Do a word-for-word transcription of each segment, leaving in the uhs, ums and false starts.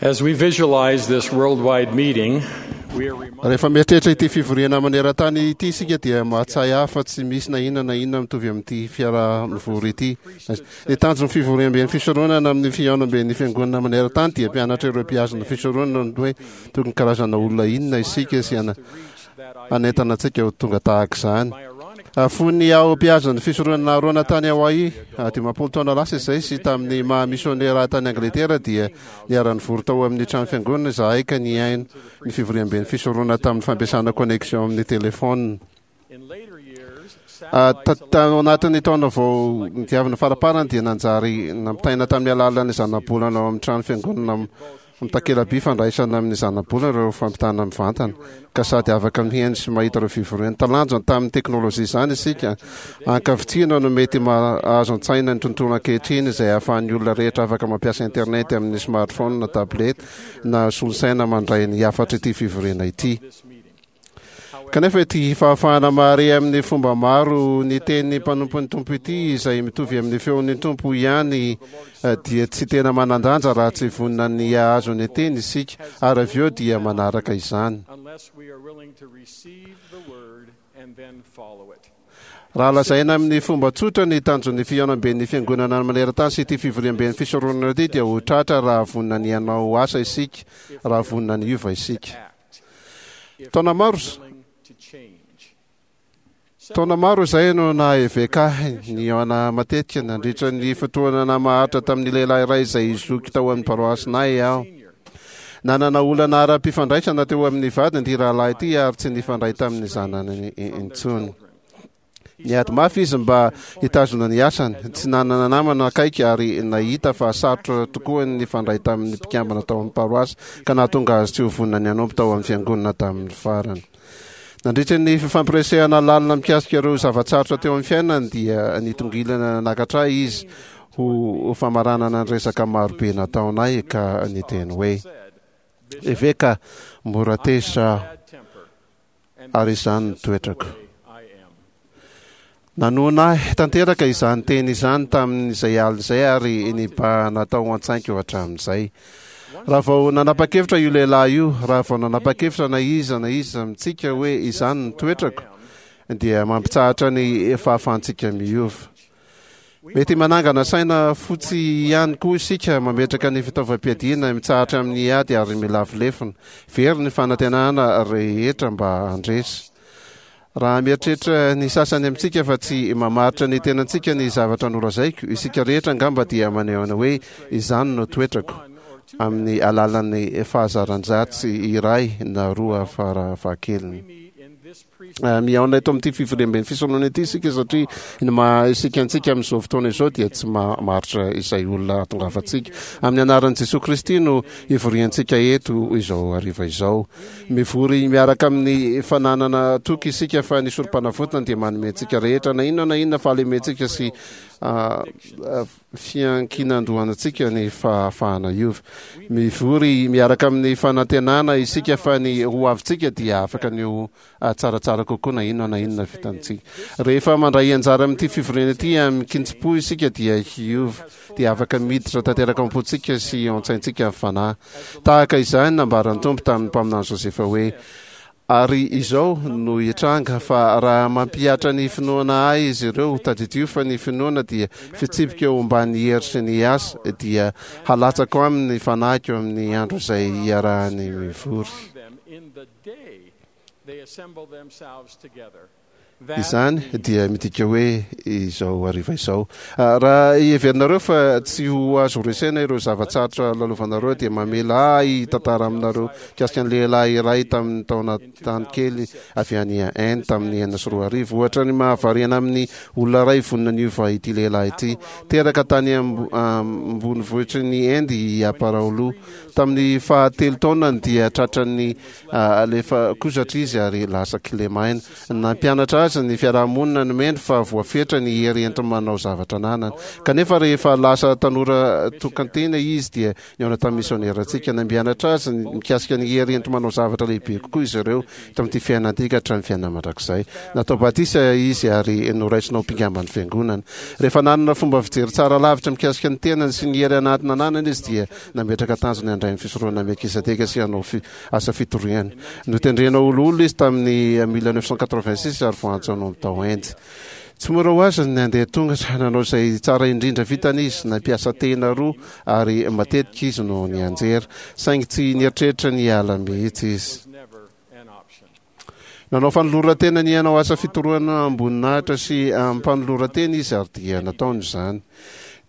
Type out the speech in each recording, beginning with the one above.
As we visualize this worldwide meeting, we are reminded Rehefa mieritreritra ity fivoriana maneran-tany ity isika dia mahatsiahy ahy fa tsy misy na inona na inona mitovy amin'ity fiaraha-mivory ity. Ny tanjon'ny fivoriamben'ny fisoronana amin'ny fihaonamben'ny fiangonana maneran-tany dia mpianatra ireo mpihazona fisoronana ny hoe tokony karazana olona inona isika sy ana- hanentana antsika ho tonga tahaka izany. Fony aho mpihazona fisoronana Arona tany Hawaii, dimampolo taona lasa izay, sy tamin'ny maha misionera tany Angletera, dia niara-nivory tao amin'ny trano fiangonana izahay ka nihaino ny fivoriamben'ny fisoronana tamin'ny fampiasana connexion amin'ny telefôna. In later years, Ah, ta- Tao anatin'ny taona vao nidiavina faraparany dia nanjary nampitaina tamin'ny alalan'ny zanabolana ao amin'ny trano fiangonana am- amin'ny takela-by fandraisana amin'ny zanabolana ireo fampitana mivantana, ka sady afaka mihaino sy mahita ireo fivoriana. Talanjona tamin'ny teknôlôjia izany isika. Ankavitsiana no mety mahazo an-tsaina ny tontolo ankehitriny izay ahafahan'ny olona rehetra afaka mampiasa internet amin'ny smartphone na tablette na solosaina mandray ny hafatra ity fivoriana ity. Kanefa ity fahafahana mahare amin'ny fomba maro ny teny mpanompon'ny Tompo ity, izay mitovy amin'ny feon'ny Tompo ihany, eh, dia tsy tena manan-danja raha tsy vonona ny hahazo ny teny isika ary avy eo dia manaraka izany. Unless we are willing to receive the word and then follow it. Raha lazaina amin'ny fomba tsotra, ny tanjon'ny fihaonamben'ny fiangonana maneran-tany sy ity fivoriamben'ny fisoronana ity dia ho tratra raha vonona ny hanao asa isika, raha vonona ny hiova isika. Act. If Taona maro willing to change. Taona maro izay no naha eveka ahy, nihaona matetika nandritra ny fotoana naharitra tamin'ny lehilahy iray izay zoky tao amin'ny paroasinay aho. Nanana olana ara-pifandraisana teo amin'ny vadiny ity rahalahy ity ary tsy nifandray tamin'ny zanany intsony. Niady mafy izy mba hitazona ny asany, tsy nanana namana akaiky ary nahita fa sarotra tokoa ny nifandray tamin'ny mpikambana tao amin'ny paroasy, ka nahatonga azy tsy ho vonona ny hanompo tao amin'ny fiangonana tamin'ny farany. Nandritra ny fifampiresahana lalina mikasika ireo zava-tsarotra teo amin'ny fiainany dia nitongilana nanakatra ahy izy ho famaranana ny resaka marobe nataonay ka niteny hoe: "Eveka, mora tezitra aho ary izany ny toetrako." Nanohina ahy tanteraka izany teny izany tamin'izay alina izay ary nibahana tao an-tsaiko hatramin'izay. Raha vao nanapa-kevitra io lehilahy io, raha vao nanapa-kevitra na iza na iza amintsika hoe izany ny toetrako, dia mampitsahatra ny fahafahantsika miova. Mety manangana saina fotsy ihany koa isika, mametraka ny fitaovam-piadiana, mitsahatra amin'ny ady ary milavo lefona. Very ny fanantenana rehetra mba handresy. Raha mieritreritra ny sasany amintsika fa tsy mamaritra ny tenantsika ny zavatra nolazaiko, isika rehetra angamba dia maneho hoe izany no toetrako amin'ny alalan'ny fahazaran-dratsy iray na roa farafahakeliny. Mihaona eto amin'ity fivoriamben'ny fisoronana ity isika satria ny maha isika antsika amin'izao fotoana izao dia tsy mamaritra izay olona ahatongavantsika. Amin'ny anaran'i Jesosy Kristy no ivoriantsika eto izao hariva izao. Mivory miaraka amin'ny fananana toky isika fa ny sorom-panavotana dia manome antsika rehetra, na inona na inona fahalementsika sy fiankinan-dohantsika, ny fahafahana hiova. Mivory miaraka amin'ny fanantenana isika fa ny ho avintsika dia afaka ny ho tsaratsara kokoa, na inona na inona vitantsika. Rehefa mandray anjara amin'ity fivoriana ity amin-kitsim-po isika dia hiova, dia afaka miditra tanteraka am-pontsika sy an-tsaintsika ny Fanahy. Tahaka izany nambaran'ny Tompo tamin'ny mpaminany Josefa hoe: "Ary izao no hitranga fa raha mampihatra ny finoana ahy izy ireo," tadidio fa ny finoana dia fitsipika eo ambany hery sy ny asa, "dia halatsako aminy ny Fanahiko amin'ny andro izay hiarahany mivory." Them in the day they assemble themselves together. Izany dia midika hoe izao hariva izao. Ah, raha heverinareo fa tsy ho azo resena ireo zava-tsarotra lalovanareo, dia mamela ahy tantara aminareo mikasika ny lehilahy iray tamin'ny taona tany kely avy any Inde tamin'ny enina sy roa arivo. Ohatra ny mahavariana amin'ny olona iray vonona niova ity lehilahy ity. Teraka tany ambonivohitry ny Inde i Aparaolo. Tamin'ny fahatelo taonany dia tratrany lefakozatra izy ary lasa kilemaina. Nampianatra azy azy ny fiarahamonina nomeny fa voafetra ny hery enti-manao zavatra ananany. Kanefa rehefa lasa tanora tokan-tena izy dia nihaona tamin'ny misionerantsika. Nampianatra azy mikasika ny hery enti-manao zavatra lehibe kokoa izy ireo tamin'ity fiainana ity ka hatramin'ny fiainana mandrakizay. Natao batisa izy ary noraisina ho mpikamban'ny fiangonana. Rehefa nanana fomba fijery tsara lavitra mikasika ny tenany sy ny hery anaty nananany izy dia nametraka tanjona handray ny fisoronana Melkizedeka sy hanao asa fitoriana. Notendrena ho loholona izy tamin'ny mille neuf cent quatre-vingt-six ary voaantso hanompo tao Inde. Tsy mora ho azy ny nandeha tongotra, nanao izay tsara indrindra vitany izy, nampiasa tehina roa ary matetika izy no nianjera, saingy tsy nieritreritra ny hiala mihitsy izy. Nanao fanoloran-tena ny hanao asa fitorohana am-boninahitra sy am-panoloran-tena izy ary dia nataony izany.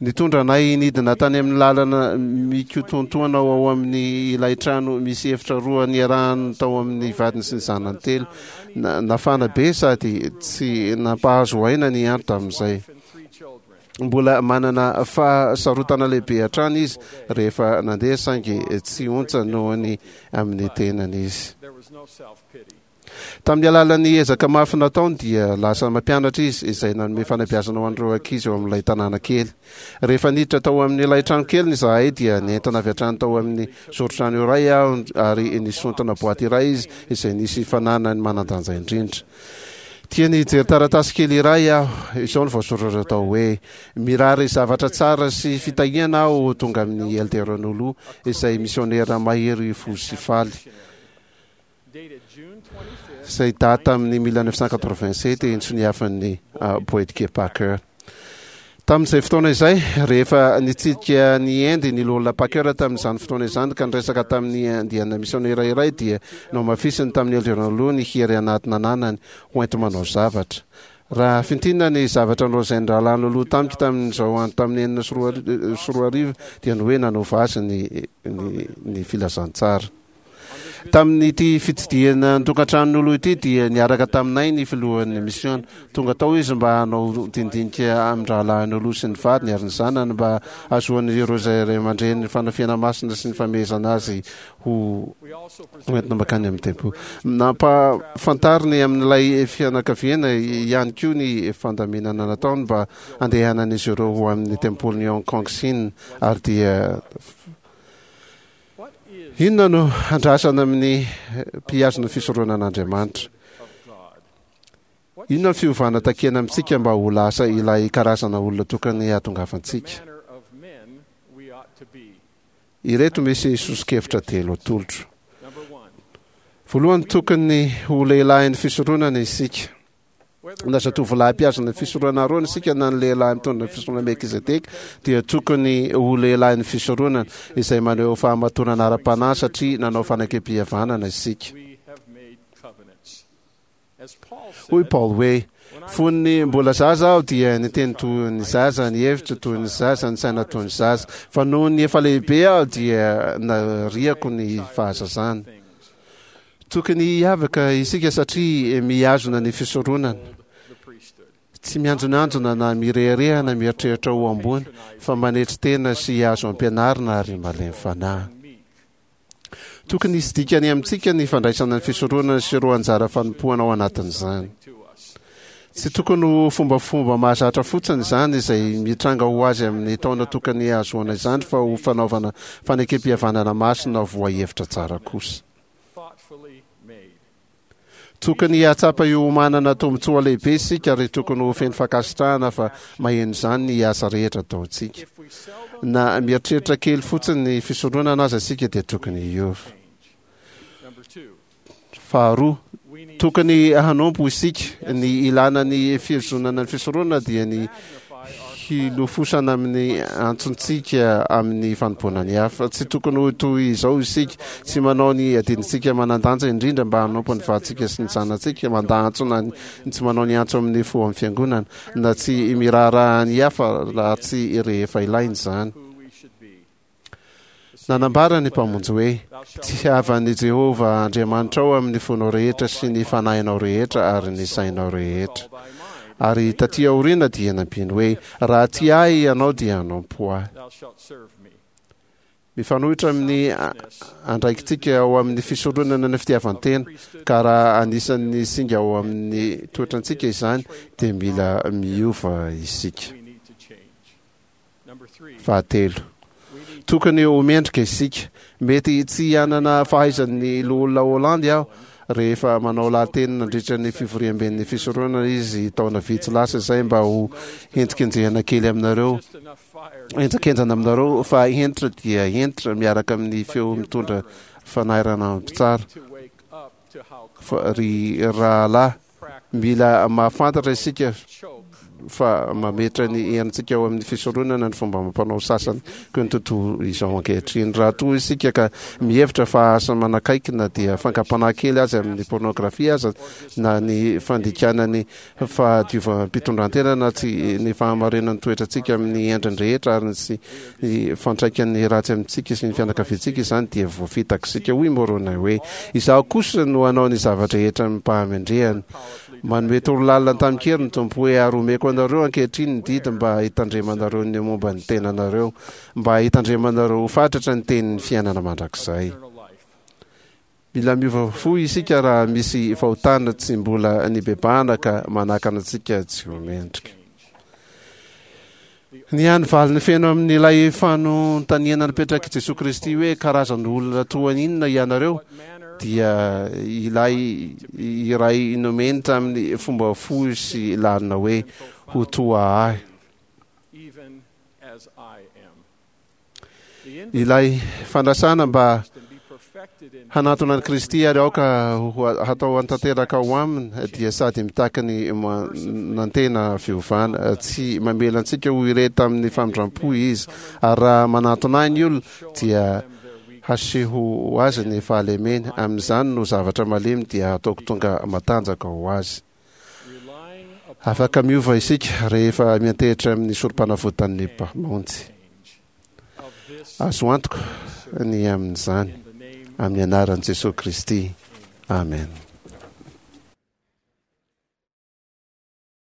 Nitondra anay nidina tany amin'ny lalana mikotontoana ao amin'ny ilay trano misy efitra roa niarahany tao amin'ny vadiny sy ny zanany telo. Nafana be sady tsy nampahazo aina ny andro tamin'izay. Mbola manana fahasarotana lehibe hatrany izy rehefa nandeha saingy tsy ontsa noho ny amin'ny tenany izy. Tamin'ny alalan'ny ezaka mafy nataony dia lasa mampianatra izy izay nanome fanabeazana ho an'ireo ankizy eo amin'ilay tanàna kely. Rehefa niditra tao amin'ilay trano keliny izahay dia nentana avy hatrany tao amin'ny zoron-trano iray aho ary nisontona boaty iray izy izay nisy fananany manan-danja indrindra. Tiany hijery taratasy kely iray aho. Izao no voasoratra tao hoe, Mirary zavatra tsara sy fitahiana aho ho tonga amin'i Elder Nolo izay misionera mahery fo sy faly. Izay daty tamin'ny mille neuf cent quatre-vingt-sept nsoniavin'ny Boyd K. Packer. Tamin'izay fotoana izay, rehefa nitsidika ny Inde ny Loholona Packer tamin'izany fotoana izany ka niresaka tamin'ny andiana misionera iray dia nohamafisiny tamin'ny Elder Nolo ny hery anaty nananany ho enti-manao zavatra. Raha fintinina ny zavatra nolazain'ny rahalahy Nolo tamiko tamin'izao andro tamin'ny enina sy roa arivo dia ny hoe nanova azy ny, ny, ny filazantsara. Tamin'ity fitsidihana ny tokantranon'olo ity dia niaraka taminay ny filohan'ny misiona. Tonga tao izy mba hanao dinidinika amin-drahalahin'olo sy ny vadiny ary ny zanany mba hahazoan'ireo izay ray aman-dreny ny fanafiana masina sy ny famehezana azy ho entina mankany amin'ny tempoly. Nampahafantariny amin'ilay fianakaviana ihany koa ny fandaminana nataony mba handehanan'izy ireo ho amin'ny tempolin'i Hong Kong Sina ary dia Inona no andrasana amin'ny mpihazona fisoronan'Andriamanitra? Inona ny fiovana takiana amintsika mba ho lasa ilay karazana olona tokony hahatongavantsika? Ireto misy soso-kevitra telo atolotro. Voalohany, tokony ho lehilahin'ny fisoronana isika. Na zatovolahy mpihazona ny fisoronana Arona isika na ny lehilahy mitondra ny fisoronana Melkizedeka dia tokony ho lehilahin'ny fisoronana izay maneho fahamatorana ara-panahy satria nanao fanekempihavanana isika. Hoy Paoly hoe, Fony mbola zaza aho dia niteny toy ny zaza, nihevitra toy ny zaza, nisaina toy ny zaza. Fa noho ny efa lehibe aho dia nariako ny fahazazana. Tokony hiavaka isika satria mihazona ny fisoronana. Tsy mianjonanjona na mirehareha na mieritreritra ho ambony fa manetry tena sy azo ampianarina ary malemy fanahy. Tokony hisy dikany amintsika ny fandraisana ny fisoronana sy ireo anjara fanompoana ao anatin'izany. Tsy tokony ho fombafomba mahazatra fotsiny izany izay mitranga ho azy amin'ny taona tokony hahazoana izany fa ho fanaovana fanekempihavanana masina voahevitra tsara kosa. Tokony hahatsapa io manana tombontsoa lehibe isika ary tokony ho feno fankasitrahana fa maheno izany ny asa rehetra ataontsika. Na mieritreritra kely fotsiny ny fisoronana aza isika dia tokony hiova. Faharoa, tokony hanompo isika. Ny ilana ny fihozonana ny fisoronana dia ny hilofosana amin'ny antsontsika amin'ny fanompoana ny hafa. Tsy tokony ho toy izao isika, tsy manao ny adidintsika manan-danja indrindra mba hanompo ny vadintsika sy ny zanatsika, mandà antso na ny tsy manao ny antso amin'ny fo amin'ny fiangonana, na tsy miraharaha ny hafa raha tsy rehefa ilaina izany. Nanambara ny Mpamonjy hoe, Tiava an'i Jehovah Andriamanitrao amin'ny fonao rehetra sy ny fanahinao rehetra ary ny sainao rehetra. Ary tatỳ aoriana dia nampiany hoe, Raha tia ahy ianao dia hanompo ahy. Mifanohitra amin'ny andraikitsika ao amin'ny fisoronana ny fitiavan-tena, ka raha anisan'ny singa ao amin'ny toetrantsika izany, dia mila miova isika. Fahatelo, tokony ho mendrika isika. Mety tsy hanana fahaizan'ny loholona Holland aho rehefa manao lahateny nandritra ny fivoriamben'ny fisoronana izy taona vitsy lasa izay, mba ho henjikenjehana kely aminareo, henjakenjana aminareo, fa hentitra dia hentitra miaraka amin'ny feo mitondra fanairana mpitsara. Fa ry rahalahy, mila mahafantatra isika fa mametra ny herintsika ao amin'ny fisoronana ny fomba mampanao sasany koa ny tontolo izao ankehitriny. Raha toa isika ka mihevitra fa asa manakaiky na dia fankam-panahy kely azy amin'ny pornografia aza, na ny fandikana ny fahadiovam-pitondrantena, na tsy ny fahamarinan'ny toetrantsika amin'ny endriny rehetra, ary sy ny fiantraikan'ny ratsy amintsika sy ny fianakaviantsika izany, dia voafitaka isika. Hoy Moroni hoe: "Izaho kosa no hanao ny zava-drehetra amim-pahamendrehana." Manome torolalana tamin-kery ny Tompo hoe: "Ary omeko anareo ankehitriny ny didy mba hitandremanareo ny momba ny tenanareo, mba hitandremanareo ho fatratra ny tenin'ny fiainana mandrakizay." Mila miova fo isika raha misy fahotana tsy mbola nibebahana ka manakana antsika tsy ho mendrika. Ny hany valiny feno amin'ilay fanontaniana napetraky Jesosy Kristy hoe: "Karazan'olona toa inona ianareo?" dia ilay iray nomeny tamin'ny fomba fohy sy lalina hoe: "Ho toa ahy." Even as I am. Ilay fanasana mba hanatona an'i Kristy ary aoka ho hatao antanteraka ao aminy dia sady mitaky ny manantena fiovana. Tsy mamela antsika ho irery tamin'ny famindram-po izy, ary raha manatona ahy ny olona, dia haseho azy ny fahalemeny. Amin'izany no zavatra malemy dia hataoko tonga matanjaka ho azy. Afaka miova isika rehefa miantehitra amin'ny sorom-panavotan'ny Mpamonjy. Azo antoka ny amin'izany, amin'ny anaran'i Jesosy Kristy, amen.